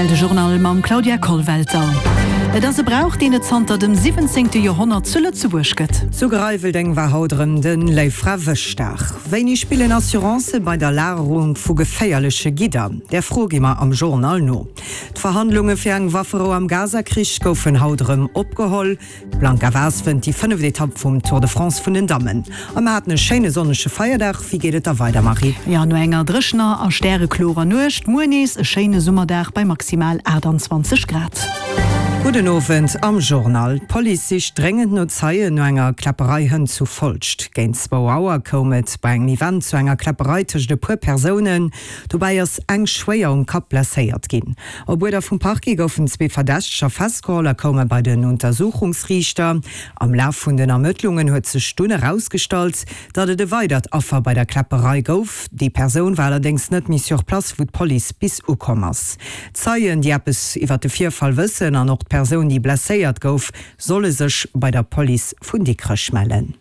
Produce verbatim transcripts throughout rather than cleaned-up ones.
R T L De Journal mam Claudia Kollwelter. Et ass e Brauch, deen et zanter dem siwwenzéngte Joerhonnert zu Lëtzebuerg gëtt. Zu Greiweldeng war haut erëm de Léiffrawëschdag. Wéini spillen Assurancë bei der Lagerung vu geféierleche Gidder? Där Fro gi mer am Journal no. D'Verhandlunge fir eng Wafferou am Gaza-Krich goufen haut erëm opgeholl. D'Blanka Vas wënnt déi fënneft Etapp vum Tour de France vun den Dammen. A mer haten e schéine sonnege Feierdag. Wéi geet et da weider, Marie? Jo, no enger dréchener a stäreklorer Nuecht, muer nees e schéine Summerdag bei maximal aachtanzwanzeg Grad. Gudden Owend am Journal. D'Police sicht dréngend no Zeien no enger Kläpperei hënt zu Folscht. Géint zwou Auer koum et bei engem Event zu enger Kläpperei tëscht e puer Persounen. Dobäi ass eng schwéier um Kapp blesséiert ginn. Op Uerder vum Parquet goufen zwee Verdächteger festgeholl a koume bei den Untersuchungsriichter. Am Laf vun den Ermëttlungen huet sech dunn erausgestallt, datt et e weidert Affer bei der Kläpperei gouf. Déi Persoun war allerdéngs net méi sur place, wou d'Police bis ukomm ass. Zeien, déi eppes iwwer de Virfall wëssen an och d'Persoun, déi blesséiert gouf, solle sech bei der Police vun Dikrech mellen.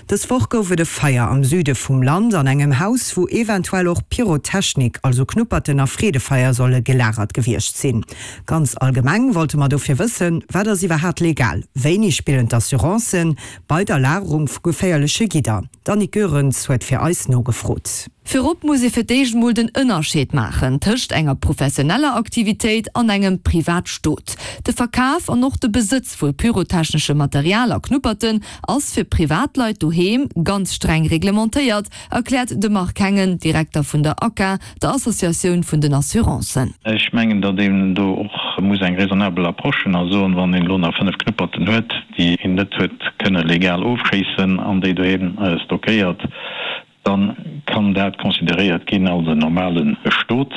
Dës Woch gouf et e Feier am Süde vum Land an engem Haus, wou eventuell och Pyrotechnik, also Knupperten a Freedefeier solle gelagert gewiescht sinn. Ganz allgemeng wollte mer dofir wëssen, Wat ass iwwerhaat legal? Wéini spillen d'Assurancen bei der Lagerung vu geféierleche Gidder? D'Annick Goerens huet fir eis nogefrot. Virop muss ee fir d'éischt mol den Ënnerscheed maachen tëscht enger professioneller Aktivitéit an engem Privatstot. De Verkaf an och de Besëtz vu pyrotechneschem Material a Knupperten ass fir Privatleit doheem ganz streng reglementéiert, erkläert de Marc Hengen, Direkter vun der ACA, der Associatioun vun den Assurancen. Ech mengen, datt een do och muss eng raisonnabel Approche hunn a soen, wann een elo nach fënnef Knupperten huet, déi een net huet kënne legal ofschéissen an déi doheem stockéiert, dann kann dat consideréiert ginn als en normale Stot.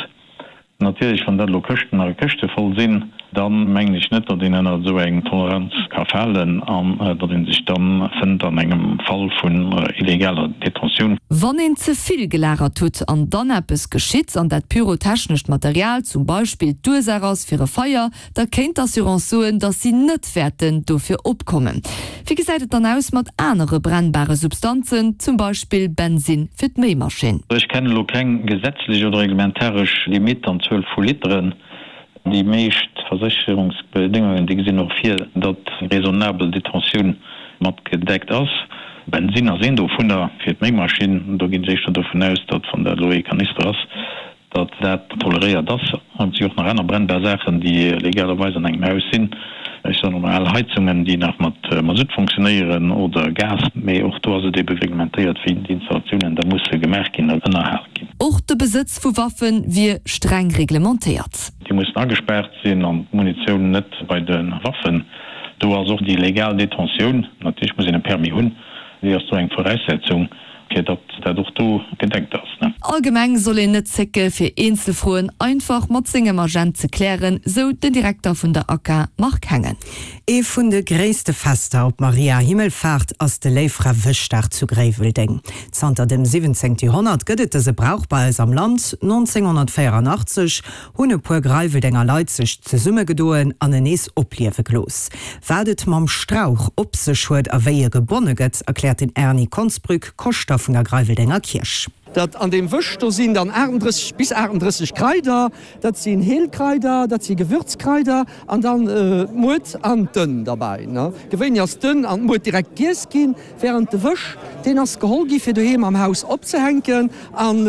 Natierlech, wann dat elo Këschten a Këschte voll sinn, da mengen ech net, datt een ënner esou eng Toleranz ka falen an datt ee sech da fënnt an engem Fall vun illegaler Detentioun. Wann een ze vill gelagert hutt an dann eppes geschitt an dat pyrotechnescht Material zum Beispill d'Ursaach ass fir e Feier, da kéint d'Assurance soen, datt si net wäerten dofir opkommen. Wéi gesäit et dann aus mat anere brennbare Substanzen, zum Beispill Bensinn fir d'Méimaschinn? Ech kennen elo keng gesetzlech oder reglementaresch Limitt an Zuel vu Literen. Déi meescht Versécherungsbedéngungen, déi gesinn och vir, datt eng raisonnabel Detentioun mat gedeckt ass. Bensinn ass een dovunner fir d'Méimaschinn. Do ginn ech éischter dovun aus, datt, wann dat elo ee Kanister ass, datt dat toleréiert ass. An et si och nach aner brennbar Saachen, déi legalerweis an engem Haus sinn. Ech soen emol al Heizungen, déi nach mat Masutt funktionéieren oder Gas. Mee och do ass et ebe reglementéiert, wéi déi Installatiounen da musse gemaach ginn an ënnerhal ginn. Och de Besëtz vu Waffe wier streng reglementéiert. Déi mussen agespaart sinn an d'Munitioun net bei de Waffen. Do ass och déi legal Detentioun, natierlech muss een e Permis hunn, déi ass do eng Voraussetzung, fir datt dat och do gedeckt ass. Allgemeng soll een net zécke fir eenzel Froen einfach mat sengem Agent ze klären, sou den Direkter vun der ACA Marc Hengen. Ee vun de gréisste Fester op Maria Himmelfaart ass de Léiffrawëschdag zu Gréiweldeng. Zanter dem siwwenzéngte Joerhonnert gëtt et dëse Brauch bei eis am Land. nonzénghonnertvéieranachtzeg hunn e puer Greiweldenger Leit sech zesummegedoen an en nees opliewe gelooss. Wat et mam Strauch op sech huet a wéi e gebonne gëtt, erkläert den Erny Konsbrück, Koschter vun der Greiweldenger Kierch. Dat an deem Wësch do sinn dann aachtunddrësseg bis aachtunddrësseg Kraider, dat sinn Heelkraider, dat si Gewürzkraider an dann d'Muert an d'Ënn derbäi. Gewéinlech ass d'Ënn an d'Muert direkt giess ginn, während de Wësch, deen ass geholl gi fir doheem am Haus opzehänken an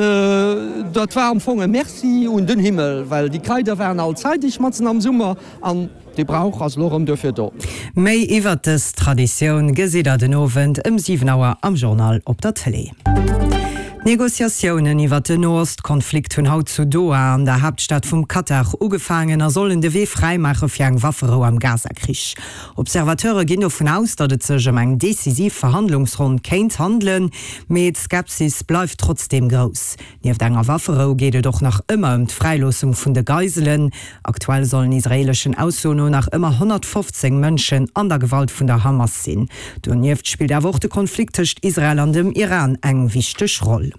dat war am Fong e Merci un den Himmel, well déi Kraider waren all zeideg matzen am Summer an dee Brauch ass elo erëm duerfir do. Méi iwwert dës Traditioun gesitt der den Owend ëm siwen Auer am Journal op der Tëlee. D'Negociatiounen iwwert den Nohost-Konflikt hunn haut zu Doha, an der Haaptstad vum Katar, ugefaangen a sollen de Wee fräimaache fir eng Wafferou am Gaza-Krich. Observateure ginn dovun aus, datt et sech ëm eng decisiv Verhandlungsronn kéint handelen, mee d'Skepsis bleift trotzdeem grouss. Nieft enger Wafferou geet et och nach ëmmer ëm d'Fräiloossung vun de Geiselen. Aktuell sollen israeeleschen Aussoen no nach ëmmer honnertfofzéng Mënschen an der Gewalt vun der Hamas sinn. Donieft spillt awer och de Konflikt tëscht Israel an dem Iran eng wichteg Roll.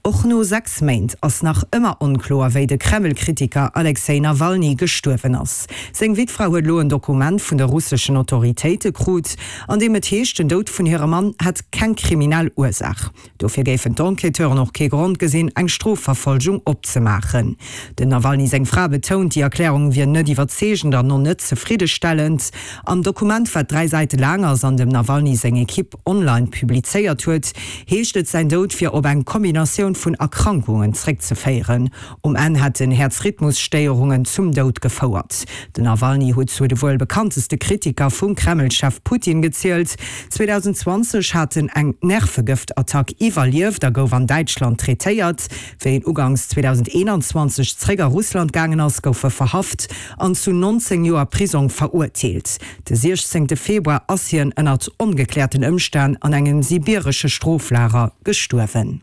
Och no sechs Méint ass nach ëmmer onkloer, wéi de Kreml-Kritiker Alexej Nawalny gestuerwen ass. Seng Wittfra huet elo en Dokument vun de russeschen Autoritéite krut, an deem et heescht, den Doud vun hirem Mann hätt keng kriminell Ursaach. Dofir géifen d'Enquêteuren och kee Grond gesinn, eng Strofverfolgung opzemaachen. Dem Nawalny seng Fra betount, déi Erklärung wier net iwwerzeegend an och net zefriddestellend. Am Dokument, wat dräi Säite laang ass an dem Nawalny seng Ekipp online publizéiert huet, heescht et, säin Doud wier op eng Kombinatioun vun Erkrankungen zréckzeféieren. Um Enn hätten Häerzrhythmusstéierungen zum Doud gefouert. Den Nawalny huet zu de wuel bekannteste Kritiker vum Kreml-Chef Putin gezielt. zweedausendzwanzeg hat en eng Nervegëftattack iwwerlieft a gouf an Däitschland traitéiert. Wéi en ugangs zweedausendeenanzwanzeg zréck a Russland gaangen ass, gouf e verhaft an zu nonzéng Joer Prisong verurteelt. De siechzéngte Februar ass hien ënnert ongekläerten Ëmstänn an engem sibiresche Stroflager gestuerwen.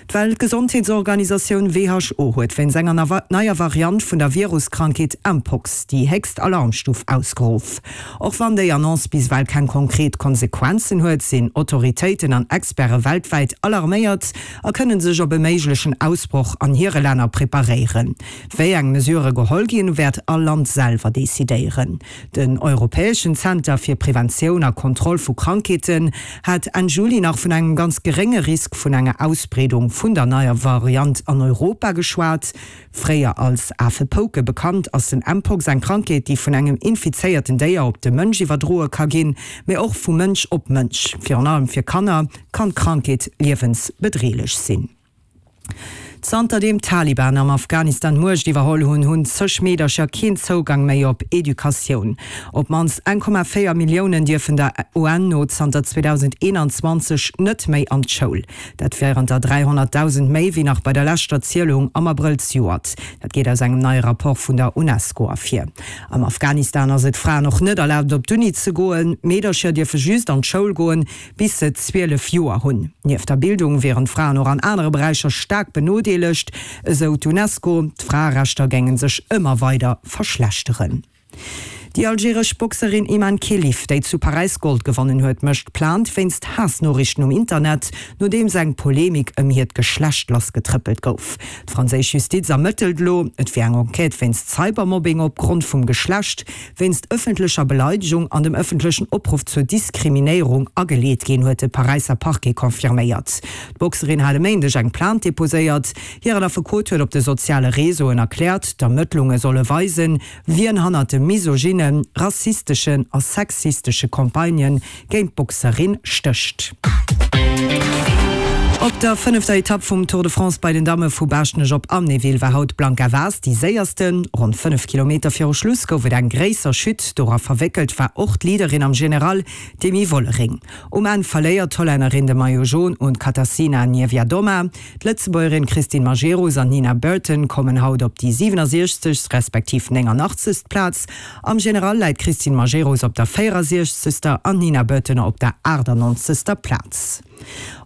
D'Weltgesondheetsorganisatioun who huet wéinst enger neier Variant vun der Viruskrankheet Mpox déi héchst Alarmstuf ausgeruff. Och wann déi Annonce bis ewell keng konkret Konsequenzen huet, sinn Autoritéiten an Experte weltwäit alarméiert a kënne sech op e méiglechen Ausbroch an hire Länner preparéieren. Wéi eng Mesurë geholl ginn, wäert all Land selwer decidéieren. Den europäeschen Zenter fir Preventioun a Kontroll vu Krankheeten hat Enn Juli nach vun engem ganz gerénge Risk vun enger Ausbreedung vun der neier Variant an Europa geschwat. Fréier als Afepouke bekannt, ass den Mpox eng Krankheet, déi vun engem infizéierten Déier op de Mënsch iwwerdroe ka ginn, mee och vu Mënsch op Mënsch. Virun allem fir Kanner kann d'Krankheet liewensbedreelech sinn. Zanterdeem d'Taliban am Afghanistan d'Muecht iwwerholl hunn, hunn zeg Meedercher keen Zougang méi op Educatioun. Op d'mannst eng Komma véier Milliounen dierfen der U N no zanter zweedausendeenanzwanzeg net méi an d'Schoul. Dat wieren der dräihonnertdausend méi wéi nach bei der leschter Zielung am Abrëll zejoert. Dat geet aus engem neie Rapport vun der Unesco ervir. Am Afghanistan ass et Fraen och net erlaabt op d'Uni ze goen. Meedercher dierfe just an d'Schoul goen, bis se zwielef Joer hunn. Nieft der Bildung wieren d'Fraen och an anere Beräicher staark benodeelegt, esou d'Unesco. D'Fraerechter géinge sech ëmmer weider verschlechteren. Déi algeresch Boxerin Imane Khelif, déi zu Paräis Gold gewonnen huet, mécht Plainte wéinst Haassnoriichten um Internet, nodeems eng Polemik ëm hiert Geschlecht lassgetrëppelt gouf. D'franséisch Justiz ermëttelt elo. Et wier eng Enquête wéinst Cybermobbing opgrond vum Geschlecht, wéinst ëffentlecher Beleidegung an dem ëffentlechen Opruff zur Diskriminéierung ageleet ginn, huet de Paräisser Parquet confirméiert. D'Boxerin hat e Méindeg eng Plainte deposéiert. Hiren Affekot huet op de soziale Reseauen erkläert, d'Ermëttlunge solle weisen, wien hannert de misogynen, rassisteschen a sexistesche Campagnë géint d'Boxerin stécht. Op der fënnefter Etapp vum Tour de France bei den Damme vu Baaschtnech op Amnéville war haut d'Blanka Vas déi séiersten. Ronn fënnef Kilometer viru Schluss gouf et eng gréisser Chute, dora verwéckelt war och d'Leaderin am General, d'Demi Vollering. Um Enn verléiert d'Hollännerin de Maillot Jaune un d'Katarzyna Niewiadoma. D'Lëtzebuergerin Christine Majerus an d'Nina Burton kommen haut op déi siwenasiechzegst respektiv néngannachtzegst Plaz. Am General läit d'Christine Majerus op der véierasiechzegster an d'Nina Burton op der aachtannonzegster Plaz.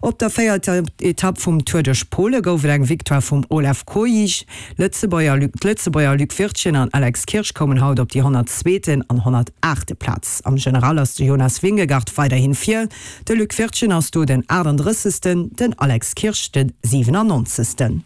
Op der véierter Etapp vum Tour duerch Pole gouf et eng Victoire vum Olaf Kooij. Lëtzebuerger D'Lëtzebuerger Luc Wirtgen an Alex Kirsch koumen haut op déi honnertzweeten an honnertaachte Plaz. Am General ass de Jonas Vingegaard weiderhin vir, de Luc Wirtgen ass do den aachtanddrëssegsten, den Alex Kirsch de siwenannonzegsten.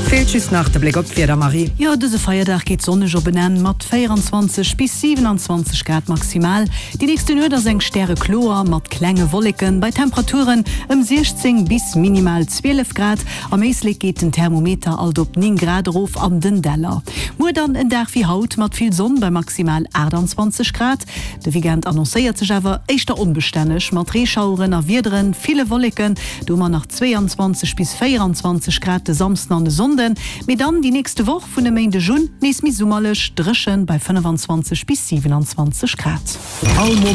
Feelt just nach de Bléck op d'Wieder, Marie. Jo, dëse Feierdag geet sonneg op en Enn mat véieranzwanzeg bis siewenanzwanzeg Grad maximal. Déi nächste Nuet ass eng stärekloer mat klenge Wolleken bei Temperaturen ëm siechzéng bis minimal zwielef Grad. Am Éislek geet den Thermometer alt op néng Grad erof an den Däller. Muer dann en Dag wéi haut mat vill Sonn bei maximal aachtanzwanzeg Grad. De Weekend annoncéiert sech awer éischter onbestänneg mat Reeschaueren a Wiederen, ville Wolleken. Do hu mer nach zweeanzwanzeg bis véieranzwanzeg Grad de Samsden an de Sonnden, mee dann déi nächste Woch vun e Méindeg un nees méi summerlech, dréchen bei fënnefanzwanzeg bis siwenanzwanzeg Grad. All Moment.